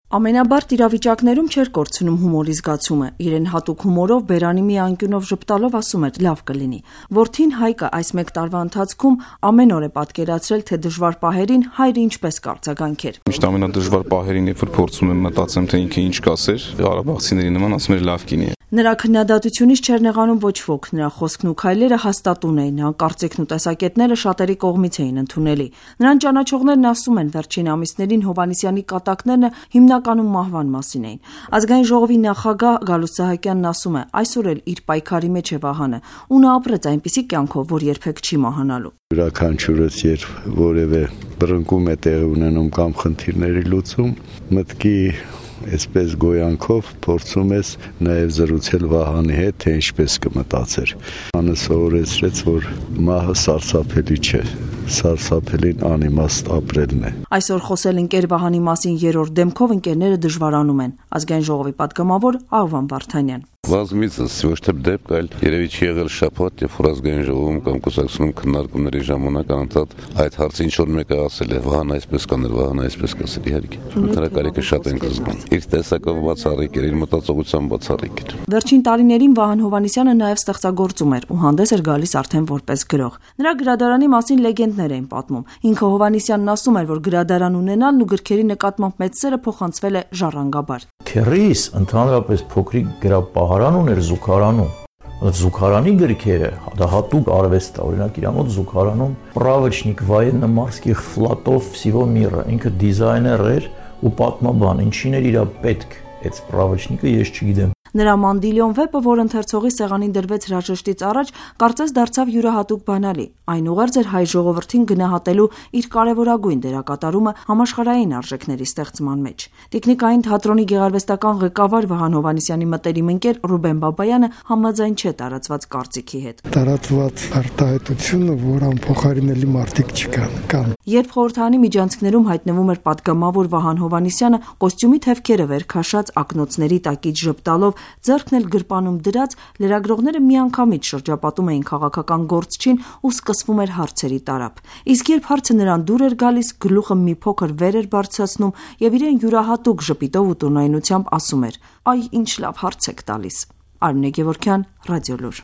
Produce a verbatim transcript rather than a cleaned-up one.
Ամենաբարդ իրավիճակներում չէր կորցնում հումորի զգացումը, իրեն հատուկ հումորով բերանի մի անկյունով ժպտալով ասում էր՝ լավ կլինի։ Որդին Հայկը այս մեկ տարվա ընթացքում ամեն օր է պատկերացրել, թե դժվար պահերին հայրը ինչպես կարձագանքեր։ Միշտ ամենադժվար պահերին, երբ որ փորձում եմ մտածեմ, թե ինքը ինչ կասեր, ղարաբաղցիների նման ասում էր՝ լավ կինի։ Նրա քննադատությունից չէր նեղանում ոչ ոք, նրա խոսքն ու քայլերը հաստատուն էին, նրա կարծիքն ու տեսակետները շատերի կողմից էին ընդունելի։ Նրան ճանաչողներն ասում են, վերջին ամիսներին Հովհաննիսյանի կատակներն հիմնականում մահվան մասին էին։ Ազգային ժողովի նախագահ Գալուստ Սահակյանն ասում է, այսօր էլ իր պայքարի մեջ է Վահանը, ու նա ապրեց այնպիսի կյանքով, որ երբեք չի մահանալու։ Յուրաքանչյուրս երբ որևէ բռնկում է տեղի ունենում կամ խնդիրների լուծում, մտքի այսպես գոյանքով փորձում ես նաև զրուցել Վահանի հետ, թե ինչպես կմտածեր։ Անը սովորեցրեց, որ մահը սարսափելի չէ, սարսափելին անիմաստ ապրելն է։ Այսօր խոսել ընկեր Վահանի մասին երրորդ դեմքով ընկերները դժվարանում են։ Ազգային ժողովի պատգամավոր Աղվան Վարդանյան։ Բազմիցս ոչ թե դեպք, այլ երևի չի եղել շաբաթ, երբ որ ազգային ժողովում կամ կուսակցությունում քննարկումների ժամանակ անընդհատ այդ հարցը ինչ որ մեկը ասել է, Վահան այսպես կաներ, Վահան այսպես կասեր, իհարկե։ Նրա կարիքը շատ ենք զգում։ Իր տեսակով բացառիկ էր, իր մտածողությամբ բացառիկ էր։ Վերջին տարիներին Վահան Հովհաննիսյանը նաև ստեղծագործում էր ու հանդես էր գալիս արդեն որպես գրող։ Նրա գրադարանի մասին լեգենդներ էին պատմում։ Ինքը Հովհաննիսյանն ասում էր, որ գրադարան ունենալն ու գրքերի նկատմամբ մեծ սերը փոխանցվել է ժառանգաբար։ Քեռիս ընդհանրապես փոքրիկ գրապահարան ուներ Զուգարանում։ Զուգարանի գրքերը դա հատուկ արվեստ է, օրինակ իր մոտ Զուգարանում Պրավոչնիկ военно-морских флотов всего мира, ինքը դիզայներ էր ու պատմաբան, ինչին էր իր պետք այդ Պրավոչնիկը ես չգիտեմ։ Նրա Մանդիլիոն վեպը, որ ընթերցողի սեղանին դրվեց հրաժեշտից առաջ, կարծես դարձավ յուրահատուկ բանալի։ Այն ուղերձ էր հայ ժողովրդին գնահատելու իր կարևորագույն դերակատարումը համաշխարհային արժեքների ստեղծման մեջ։ Տիկնիկային թատրոնի գեղարվեստական ղեկավար Վահան Հովհաննիսյանի մտերիմ ընկեր Ռուբեն Բաբայանը համաձայն չէ տարածված կարծիքի հետ։ Տարածված արտահայտությունը, որ անփոխարինելի մարդիկ չկան, կան։ Երբ խորհրդարանի միջանցքներում հայտնվում էր պատգամավոր Վահան Հովհաննիսյանը, կոստյումի թևքերը վեր քաշած ակնոցների տակից ժպտալով, ձեռքն էլ գրպանում դրած, լրագրողները միանգամից շրջապատում էին քաղաքական գործչին ու սկսվում էր հարցերի տարափ։ Իսկ երբ հարցը նրան դուր էր գալիս, գլուխը մի փոքր վեր էր բարձրացնում եւ իրեն յուրահատուկ ժպիտով ու տոնայնությամբ ասում էր. «Այ ինչ լավ հարց եք տալիս»։ Արմինե Գևորգյան, Ռադիոլուր։